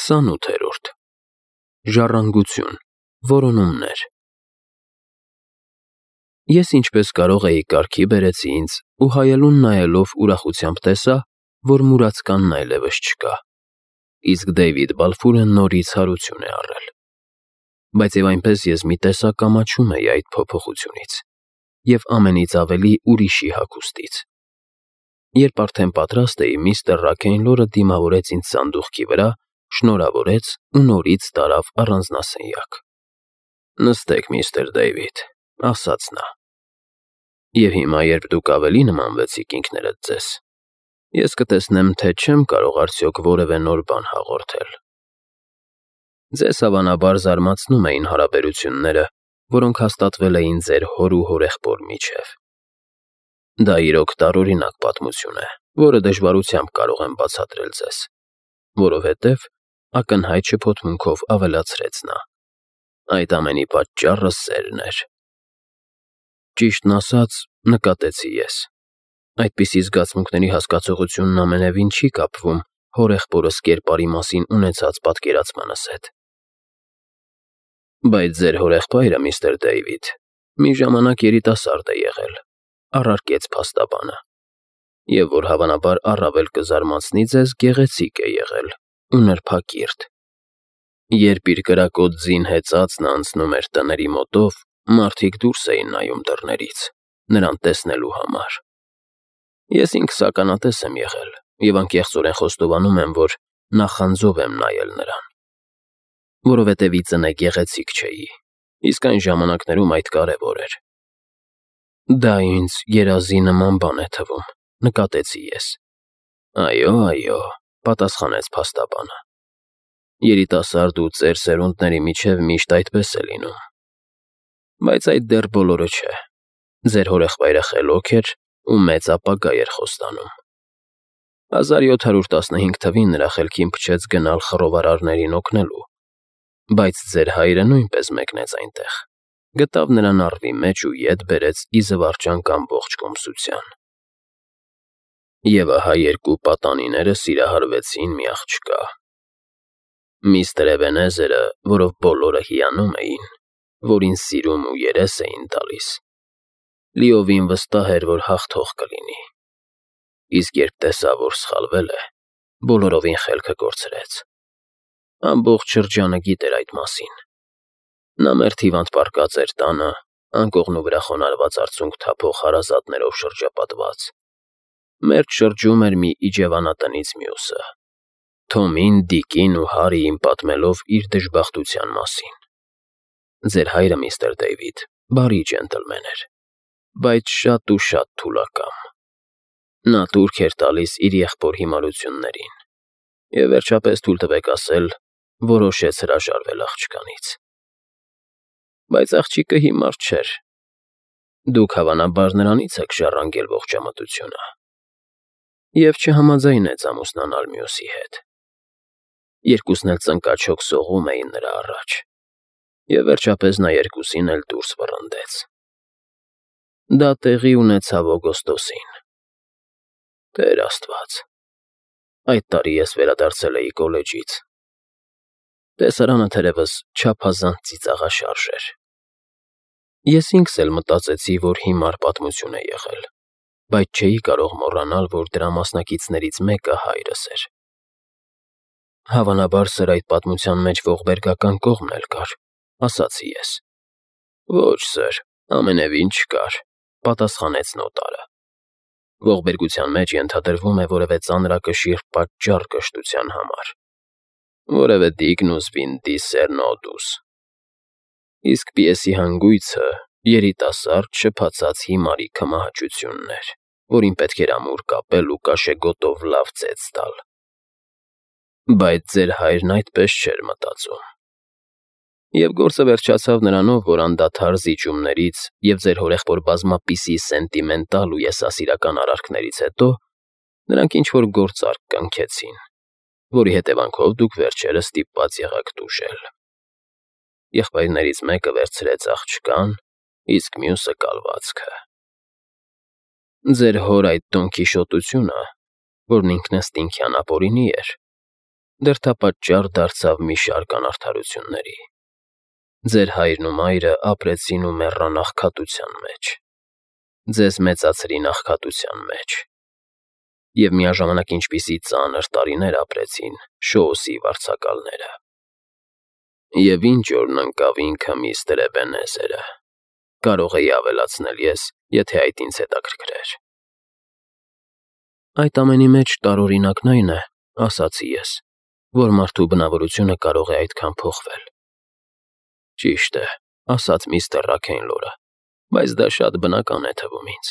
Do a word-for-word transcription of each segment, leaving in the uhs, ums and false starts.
Քսանութերորդ Ժառանգություն, որոնումներ։ Ես ինչպես կարող էի կարգի բերեցի ինձ ու հայելուն նայելով ուրախությամբ տեսա, որ մուրացկանն այլևս չկա, իսկ Դեյվիդ Բալֆուրը նորից հարություն է առել։ Բայց և այնպես ես մի տեսակ ամաչում էի այդ փոփոխությունից և ամենից ավելի ուրիշի հագուստից։ Երբ արդեն պատրաստ էի, միստր Ռաքեյնլորը դիմավորեց ինձ սանդուղքի վրա, շնորհավորեց ու նորից տարավ առանձնասենյակ։ «Նստեք, միստր Դեյվիդ», ասաց նա։ «Եվ հիմա, երբ դուք ավելի նմանվեցիք ինքներդ ձեզ, ես կտեսնեմ, թե չեմ կարող արդյոք որևէ նոր բան հաղորդել։ Ձեզ հավանաբար զարմացնում էին հարաբերությունները, որոնք հաստատվել էին ձեր հոր ու հորեղբոր միջև։ Դա իրոք տարօրինակ պատմություն է, որը դժվարությամբ կարող եմ բացատրել ձեզ, որովհետև, ակնհայտ շփոթմունքով ավելացրեց նա, այդ ամենի պատճառը սերն էր։ Ճիշտն ասած, նկատեցի ես, այդպիսի զգացմունքների հասկացողությունն ամենևին չի կապվում հորեղբորս կերպարի մասին ունեցած պատկերացմանս հետ։ Բայց ձեր հորեղբայրը, միստր Դեյվիդ, մի ժամանակ երիտասարդ է եղել, առարկեց փաստաբանը, և որ հավանաբար առավել կզարմացնի ձեզ, գեղեցիկ է եղել ու նրբակիրթ։ Երբ իր կրակոտ ձին հեծածն անցնում էր տների մոտով, մարդիկ դուրս էին նայում դռներից, նրան տեսնելու համար։ Ես ինքս ականատես եմ եղել և անկեղծորեն խոստովանում եմ, որ նախանձով եմ նայել նրան, որովհետև ի ծնե գեղեցիկ չէի, իսկ այն ժամանակներում այդ կարևոր էր։ Դա ինձ երազի նման բան է թվում, նկատեցի ես։ Այո, այո, պատասխանեց փաստաբանը։ Երիտասարդ ու ծեր սերունդների միջև միշտ այդպես է լինում։ Բայց այդ դեռ բոլորը չէ։ Ձեր հորեղբայրը խելոք էր ու մեծ ապագա էր խոստանում։ հազար յոթ հարյուր տասնհինգ թվին նրա խելքին փչեց գնալ խռովարարներին օգնելու, բայց ձեր հայրը նույնպես մեկնեց այնտեղ, գտավ նրան առվի մեջ ու ետ բերեց ի զվարճանք ամբողջ կոմսության։ Եվ ահա երկու պատանիները սիրահարվեցին մի աղջկա։ Միստր Էբենեզերը, որով բոլորը հիանում էին, որին սիրում ու երես էին տալիս, լիովին վստահ էր, որ հաղթող կլինի, իսկ երբ տեսավ, որ սխալվել է, բոլորովին խելքը կորցրեց։ Ամբողջ շրջանը գիտեր այդ մասին։ Նա մերթ հիվանդ պառկած էր տանը, անկողնու վրա խոնարհված արցունք թափող հարազատներով շրջապատված։ Մերթ շրջում էր մի իջևանատնից մյուսը, Թոմին, Դիկին ու Հարիին պատմելով իր դժբախտության մասին։ Ձեր հայրը, միստր Դեյվիդ, բարի ջենտլմեն էր, բայց շատ ու շատ թուլակամ։ Նա տուրք էր տալիս իր եղբոր հիմարություններին և, վերջապես, թույլ տվեք ասել, որոշեց հրաժարվել աղջկանից։ Բայց աղջիկը հիմար չէր։ Դուք, հավանաբար, նրանից եք ժառանգել ողջամտությունը։ Եվ չհամաձայնեց ամուսնանալ մյուսի հետ։ Երկուսն էլ ծնկաչոք սողում էին նրա առաջ, և վերջապես նա երկուսին էլ դուրս վռնդեց։ Դա տեղի ունեցավ օգոստոսին։ Տեր Աստված, այդ տարի ես վերադարձել էի կոլեջից։ Տեսարանը, թերևս, չափազանց ծիծաղաշարժ էր։ Ես ինքս էլ մտածեցի, որ հիմար պատմություն է եղել, բայց չէի կարող մոռանալ, որ դրա մասնակիցներից մեկը հայրս էր։ Հավանաբար սրա այդ պատմության մեջ ողբերգական կողմն էլ կար, ասացի ես։ Ոչ, սըր, ամենևին չկար, պատասխանեց նոտարը։ Ողբերգության մեջ ենթադրվում է որևէ ծանրակշիռ պատճառ կշտության համար, որևէ Դիգնուս Վինդիս Սերնոդուս։ Իսկ պիեսի հանգույցը երիտասարդ շփացած հիմարի քմահաճությունն էր, որին պետք էր ամուր կապել ու կաշեգոտով լավ ծեծ տալ։ Բայց ձեր հայրն այդպես չէր մտածում։ Եվ գործը վերջացավ նրանով, որ անդադար զիջումներից և ձեր հորեղբոր բազմապիսի սենտիմենտալ ու եսասիրական արարքներից հետո նրանք ինչ-որ գործարք կնքեցին, որի հետևանքով դուք վերջերս ստիպված եղաք տուժել։ Եղբայրներից մեկը վերցրեց աղջկան, իսկ մյուսը կալվածքը։ Ձեր հոր այդ տոնկիշոտությունը, որն ինքնըստինքյան ապօրինի էր, դրդապատճառ դարձավ մի շարք անարդարությունների։ Ձեր հայրն ու մայրը ապրեցին ու մեռան աղքատության մեջ, ձեզ մեծացրին աղքատության մեջ, և միաժամանակ ինչպիսի ծանր տարիներ ապրեցին Շոուսի վարձակալները։ Եվ ինչ օրն ընկավ ինքը միստր Էբենեզերը, կարող էի ավելացնել ես, եթե այդ ինձ հետաքրքրեր։ Այդ ամենի մեջ տարօրինակն այն է, ասացի ես, որ մարդու բնավորությունը կարող է այդքան փոխվել։ Ճիշտ է, ասաց միստր Ռաքեյնլորը, բայց դա շատ բնական է թվում ինձ։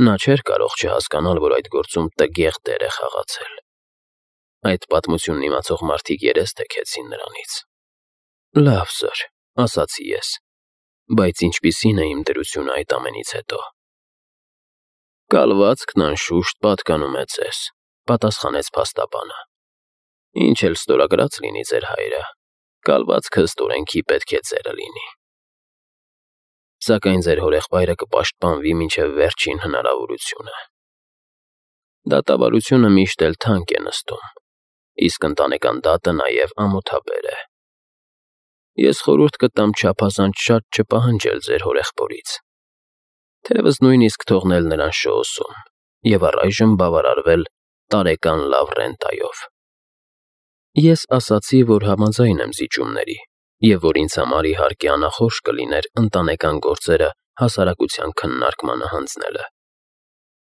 Նա չէր կարող չհասկանալ, որ այդ գործում տգեղ դեր է խաղացել։ Այդ պատմությունն իմացող մարդիկ երես թեքեցին նրանից։ Լավ, սըր, ասացի ես, բայց ինչպիսին է իմ դրությունը այդ ամենից հետո։ Կալվածքն անշուշտ պատկանում է ձեզ, պատասխանեց փաստաբանը։ Ինչ էլ ստորագրած լինի ձեր հայրը, կալվածքը ստորենքի պետք է ձերը լինի։ Սակայն ձեր հորեղբայրը կպաշտպանվի մինչև վերջին հնարավորությունը։ Դատավարությունը միշտ էլ թանկ է նստում, իսկ ընտանեկան դատը նաև ամոթաբեր է։ Ես խորհուրդ կտամ չափազանց շատ չպահանջել ձեր հորեղբորից, թերևս նույնիսկ թողնել նրան Շոուսում և առայժմ բավարարվել տարեկան լավ ռենտայով։ Ես ասացի, որ համաձայն եմ զիջումների, և որ ինձ համար իհարկե անախորժ կլիներ ընտանեկան գործերը հասարակության քննարկմանը հանձնելը։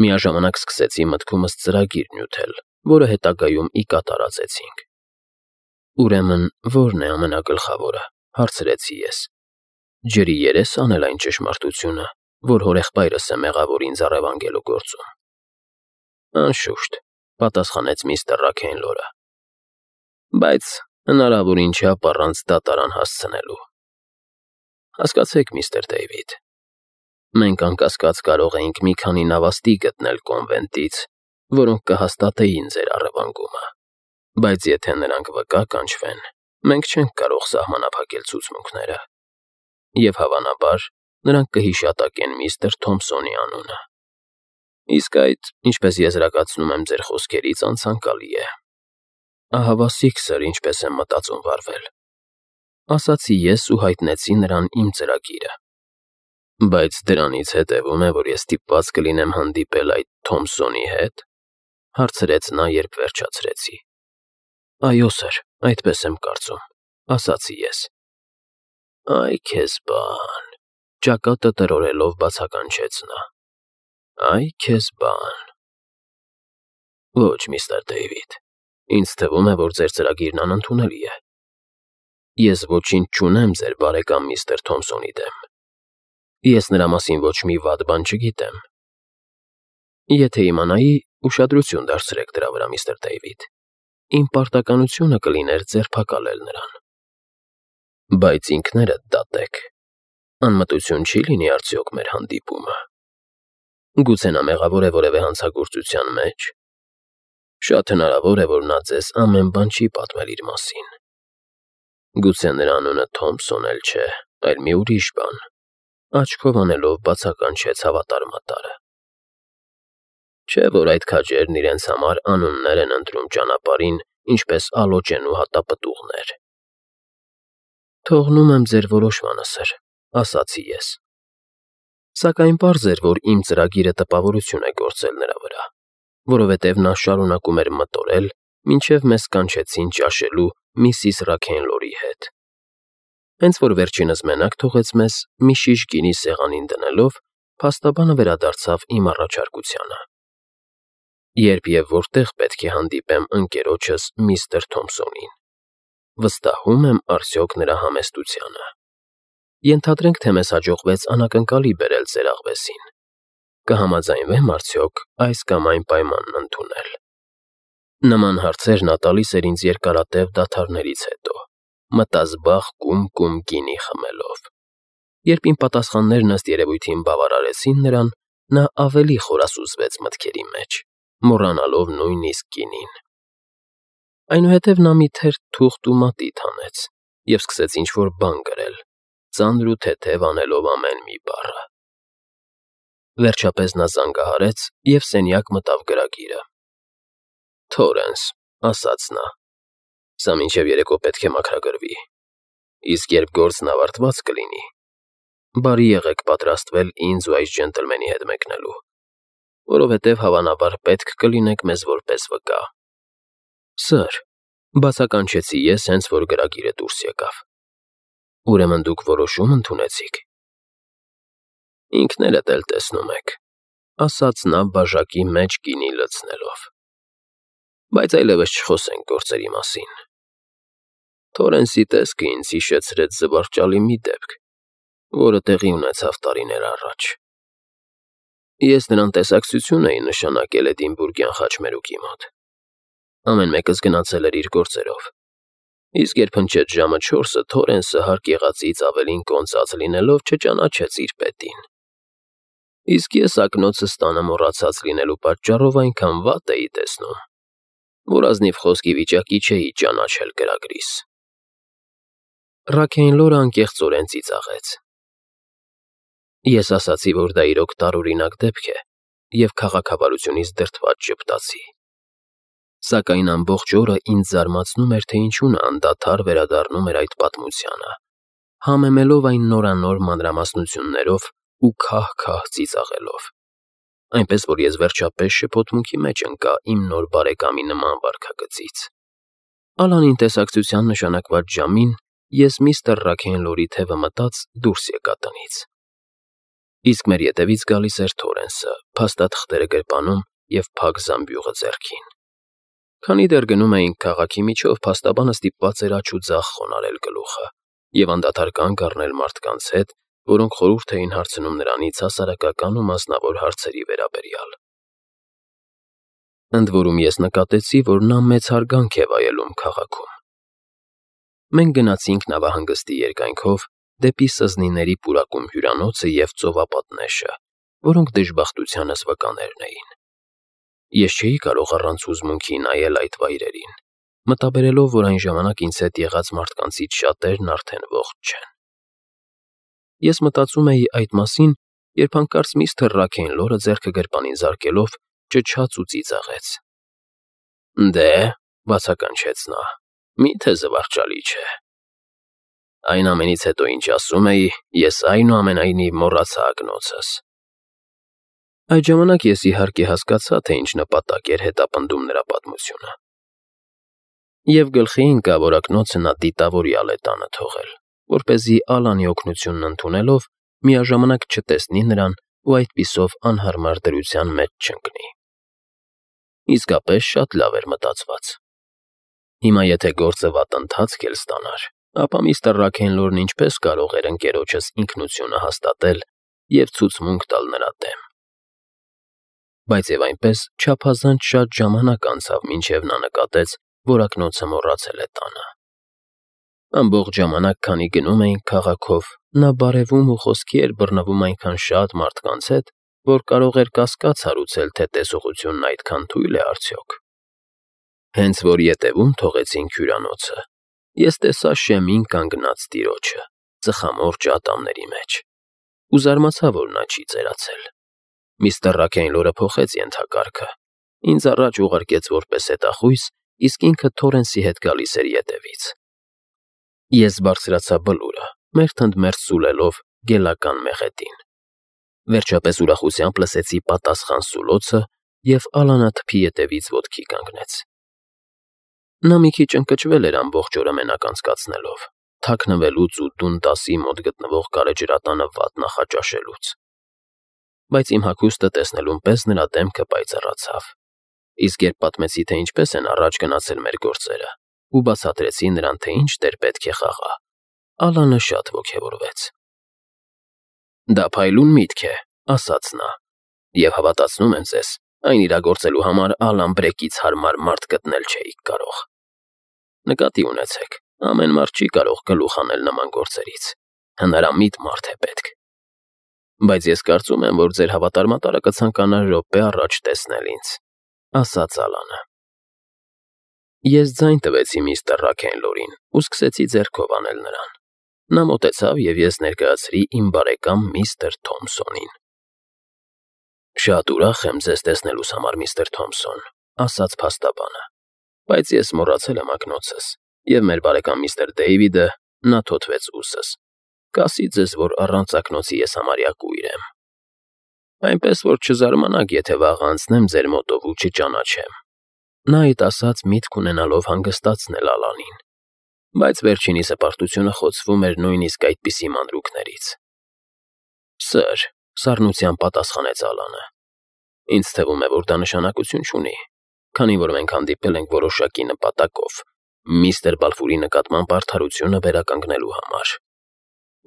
Միաժամանակ սկսեցի մտքումս ծրագիր նյութել, որը հետագայում ի կատար ածեցինք։ Ուրեմն, ո՞րն է ամենագլխավորը, հարցրեցի ես։ Ջրի երես անել այն ճշմարտությունը, որ հորեղբայրս է մեղավոր ինձ առևանգելու գործում։ Անշուշտ, պատասխանեց միստր Ռաքեյնլորը, բայց հնարավորին չափ առանց դատարան հասցնելու։ Հասկացեք, միստր Դեյվիդ, մենք անկասկած կարող էինք մի քանի նավաստի գտնել կոնվենտից, որոնք կհաստատեին ձեր առևանգումը, բայց եթե նրանք վկա կանչվեն, մենք չենք կարող սահմանափակել ցուցմունքները, և հավանաբար նրանք կհիշատակեն միստր Թոմփսոնի անունը։ Իսկ այդ, ինչպես եզրակացնում եմ ձեր խոսքերից, անցանկալի է։ Ահավասիկ, սըր, ինչպես եմ մտածում վարվել, ասացի ես ու հայտնեցի նրան իմ ծրագիրը։ Բայց դրանից հետևում է, որ ես ստիպված կլինեմ հանդիպել այդ Թոմփսոնի հետ, հարցրեց նա, երբ վերջացրեցի։ Այո, սըր, այդպես եմ կարծում, ասացի ես։ Այ քեզ բան, ճակատը տրորելով բացականչեց նա։ Այ քեզ բան։ Ոչ, միստր Դեյվիդ, ինձ թվում է, որ ձեր ծրագիրն անընդունելի է։ Ես ոչինչ չունեմ ձեր բարեկամ միստր Թոմփսոնի դեմ։ Ես նրա մասին ոչ մի վատ բան չգիտեմ։ Եթե իմանայի, ուշադրություն դարձրեք դրա վրա, միստր Դեյվիդ, իմ պարտականությունը կլիներ ձերբակալել նրան։ Բայց ինքներդ դատեք, անմտություն չի լինի արդյոք մեր հանդիպումը։ Գուցե նա մեղավոր է որևէ հանցագործության մեջ։ Շատ հնարավոր է, որ նա ձեզ ամեն բան չի պատմել իր մասին։ Գուցե նրա անունը Թոմփսոն էլ չէ, այլ մի ուրիշ բան, աչքով անելով բացականչեց հավատարմատարը։ Չէ՞ որ այդ քաջերն իրենց համար անուններ են ընտրում ճանապարհին, ինչպես ալոճեն ու հատապտուղներ։ Թողնում եմ ձեր որոշմանը, սըր, ասացի ես։ Սակայն պարզ էր, որ իմ ծրագիրը տպավորություն է գործել նրա վրա, որովհետև նա շարունակում էր մտորել, մինչև մեզ կանչեցին ճաշելու միսիս Ռաքեյնլորի հետ։ Հենց որ վերջինս մենակ թողեց մեզ, մի շիշ գինի սեղանին դնելով, փաստաբանը վերադարձավ իմ առաջարկությանը։ Երբ և որտեղ պետք է հանդիպեմ ընկերոջս միստր Թոմփսոնին, վստահում եմ արդյոք նրա համեստությանը։ Ենթադրենք, թե մեզ հաջողվեց անակնկալի բերել ձեր աղվեսին։ Կհամաձայնվե՞մ արդյոք այս կամ այն պայմանն ընդունել։ Նման հարցեր նա տալիս էր ինձ երկարատև դադարներից հետո, մտազբաղ կում-կում գինի խմելով։ Երբ իմ պատասխաններն ըստ երևույթին բավարարեցին նրան, նա ավելի խորասուզվեց մտքերի մեջ, մոռանալով նույնիսկ գինին։ Այնուհետև նա մի թերթ թուղթ ու մատիտ հանեց և սկսեց ինչ-որ բան գրել, ծանր ու թեթև անելով ամեն մի բառը։ Վերջապես նա զանգահարեց և սենյակ մտավ գրագիրը։ Թորենս, ասաց նա, Սա մինչև երեկո պետք է մաքրագրվի։ Իսկ երբ գործն ավարտված կլինի, բարի եղեք պատրաստվել ինձ ու այս ջենտլմենի հետ մեկնելու, որովհետև հավանաբար պետք կլինեք մեզ որպես վկա։ Սըր, բացականչեցի ես, հենց որ գրագիրը դուրս եկավ։ Ուրեմն դուք որոշում ընդունեցիք։ Ինքներդ էլ տեսնում եք, ասաց նա բաժակի մեջ գինի լցնելով։ Բայց այլևս չխոսենք գործերի մասին։ Թորենսի տեսքը ինձ հիշեցրեց զվարճալի մի դեպք, որը տեղի ունեցավ տարիներ առաջ։ Ես նրան տեսակցություն էի նշանակել Էդինբուրգյան խաչմերուկի մոտ։ Ամեն մեկս գնացել էր իր գործերով։ Իսկ երբ հնչեց ժամը չորսը, Թորենսը հարկ եղածից ավելին կոնծած լինելով չճանաչեց իր պետին։ Իսկ ես ակնոցս տանը մոռացած լինելու պատճառով այնքան վատ էի տեսնում, որ ազնիվ խոսքի վիճակի չէի ճանաչել գրագրիս։ Ռաքեյնլորը անկեղծորեն ծիծաղեց։ Ես ասացի, որ դա իրոք տարօրինակ դեպք է, և քաղաքավարությունից դրդված ժպտացի։ Սակայն ամբողջ օրը ինձ զարմացնում էր, թե ինչու նա անդադար վերադառնում էր այդ պատմությանը, համեմելով այն նորանոր մանրամասնություններով ու քահ-քահ ծիծաղելով, այնպես որ ես վերջապես շփոթմունքի մեջ ընկա իմ նոր բարեկամի նման վարքագծից։ Ալանին տեսակցության նշանակված ժամին ես միստր Ռաքեյնլորի թևը մտած դուրս եկա տնից։ Իսկ մեր ետևից գալիս էր Թորենսը, փաստաթղթերը գրպանում և փակ զամբյուղը ձեռքին։ Քանի դեռ գնում էինք քաղաքի միջով, փաստաբանը ստիպված էր աջ ու ձախ խոնարհել գլուխը և անդադար կանգ առնել մարդկանց հետ, որոնք խորհուրդ էին հարցնում նրանից հասարակական ու մասնավոր հարցերի վերաբերյալ։ Ընդ որում ես նկատեցի, որ նա մեծ հարգանք է վայելում քաղաքում։ Մենք գնացինք նավահանգստի երկայնքով դեպի Սզնիների պուրակում հյուրանոցը և ծովապատնեշը, որոնք դժբախտությանս վկաներն էին։ Ես չէի կարող առանց հուզմունքի նայել այդ վայրերին, մտաբերելով, որ այն ժամանակ ինձ հետ եղած մարդկանցից շատերն արդեն ողջ չեն։ Ես մտածում էի այդ մասին, երբ հանկարծ միստր Ռաքեյնլորը ձեռքը գրպանին զարկելով ճչաց ու ծիծաղեց։ Դե, բացականչեց նա, մի՞թե զվարճալի չէ։ Այն ամենից հետո, ինչ ասում էի, ես այնուամենայնիվ մոռացա ակնոցս։ Այդ ժամանակ ես իհարկե հասկացա, թե ինչ նպատակ էր հետապնդում նրա պատմությունը։ Եվ գլխի ընկա, որ ակնոցը նա դիտավորյալ է տանը թողել, որպեսզի Ալանի օգնությունն ընդունելով միաժամանակ չտեսնի նրան ու այդպիսով անհարմար դրության մեջ չընկնի։ Իսկապես շատ լավ էր մտածված։ Հիմա եթե գործը վատ ընթացք էլ ստանար, ապա միստր Ռաքեյնլորն ինչպես կարող էր ընկերոջս ինքնությունը հաստատել և ցուցմունք տալ նրա դեմ։ Բայց և այնպես չափազանց շատ ժամանակ անցավ, մինչև նա նկատեց, որ ակնոցը մոռացել է տանը։ Ամբողջ ժամանակ, քանի գնում էինք քաղաքով, նա բարևում ու խոսքի էր բռնվում այնքան շատ մարդկանց հետ, որ կարող էր կասկած հարուցել, թե տեսողությունն այդքան թույլ է արդյոք։ Հենց որ ետևում թողեցինք հյուրանոցը, ես տեսա շեմին կանգնած տիրոջը, ծխամորճ ատամների մեջ, ու զարմացա, որ նա չի ծերացել։ Միստր Ռաքեյնլորը փոխեց ենթակարգը, ինձ առաջ ուղարկեց որպես հետախույս, իսկ ինքը Թորենսի հետ գալիս էր ետևից։ Ես բարձրացա բլուրը, մերթ ընդ մերթ սուլելով գելական մեղեդին։ Վերջապես ուրախությամբ լսեցի պատասխան սուլոցը, և Ալանը թփի ետևից ոտքի կանգնեց։ Նա մի քիչ ընկճվել էր ամբողջ օրը մենակ անցկացնելով, թաքնվելուց ու տուն տասի մոտ գտնվող գարեջրատանը վատ նախաճաշելուց։ Բայց իմ հագուստը տեսնելուն պես նրա դեմքը պայծառացավ, իսկ երբ պատմեցի, թե ինչպես են առաջ գնացել մեր գործերը, ու բացատրեցի նրան, թե ինչ դեր պետք է խաղա, Ալանը շատ ոգևորվեց։ Դա փայլուն միտք է, ասաց նա, և հավատացնում եմ ձեզ, այն իրագործելու համար Ալան Բրեկից հարմար մարդ գտնել չէիք կարող։ Նկատի ունեցեք, ամեն մարդ չի կարող գլուխ հանել նման գործերից, հնարամիտ մարդ է պետք։ Բայց ես կարծում եմ, որ ձեր հավատարմատարը կցանկանա րոպե առաջ տեսնել ինձ, ասաց Ալանը։ Ես ձայն տվեցի միստր Ռաքեյնլորին ու սկսեցի ձեռքով անել նրան։ Նա մոտեցավ, և ես ներկայացրի իմ բարեկամ միստր Թոմսոնին։ Շատ ուրախ եմ ձեզ տեսնելուս համար, միստր Թոմսոն, ասաց փաստաբանը, բայց ես մոռացել եմ ակնոցս, Եվ մեր բարեկամ միստր Դեյվիդը, նա թոթվեց ուսս, կասի ձեզ, որ առանց ակնոցի ես համարյա կույր եմ։ Այնպես որ չզարմանաք, եթե վաղ անցնեմ ձեր մոտով ու չճանաչեմ։ Նա այդ ասաց միտք ունենալով հանգստացնել Ալանին, բայց վերջինիս հպարտությունը խոցվում էր նույնիսկ այդպիսի մանրուքներից։ Սըր, սառնությամբ պատասխանեց Ալանը, ինձ թվում է, որ դա նշանակություն չունի, քանի որ մենք հանդիպել ենք որոշակի նպատակով, միստր Բալֆուրի նկատմամբ արդարությունը վերականգնելու համար,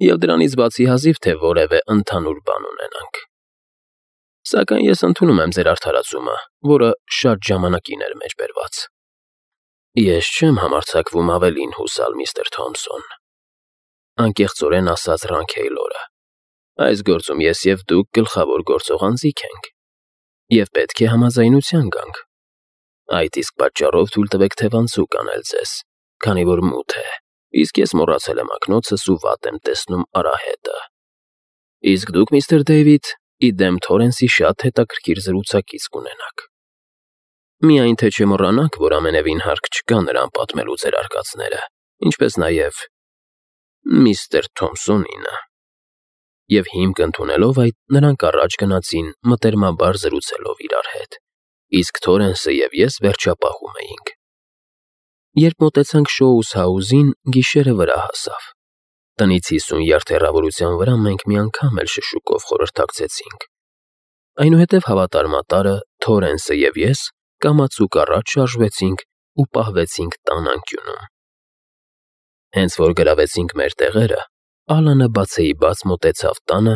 և դրանից բացի հազիվ թե որևէ ընդհանուր բան ունենանք։ Սակայն ես ընդունում եմ ձեր արդարացումը, որը շատ ժամանակին էր մեջ բերված։ Ես չեմ համարձակվում ավելին հուսալ, միստր Թոմսոն, անկեղծորեն ասաց Ռանքեյլորը։ Այս գործում ես և դուք գլխավոր գործող անձիկ ենք, և պետք է համաձայնության գանք։ Այդ իսկ պատճառով թույլ տվեք թևանցուկ անել ձեզ, քանի որ մութ է, իսկ ես մոռացել եմ ակնոցս ու վատ եմ տեսնում արահետը։ Իսկ դուք, միստր Դեյվիդ, ի դեմ Թորենսի շատ հետաքրքիր զրուցակից կունենաք։ Միայն թե չմոռանաք, որ ամենևին հարկ չկա նրան պատմելու ձեր արկածները, ինչպես նաև միստր Թոմսոնինը։ Եվ հիմք ընդունելով այդ, նրանք առաջ գնացին մտերմաբար զրուցելով իրար հետ, իսկ Թորենսը և ես վերջապահում էինք։ Երբ մոտեցանք Շոուս֊հաուսին, գիշերը վրա հասավ։ Տնից հիսուն յարդ հեռավորության վրա մենք մի անգամ էլ շշուկով խորհրդակցեցինք։ Այնուհետև հավատարմատարը, Թորենսը և ես կամացուկ առաջ շարժվեցինք ու պահվեցինք տան անկյունում։ Հենց որ գրավեցինք մեր տեղերը, Ալանը բացեիբաց մոտեցավ տանը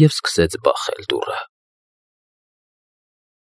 և սկսեց բախել դուռը։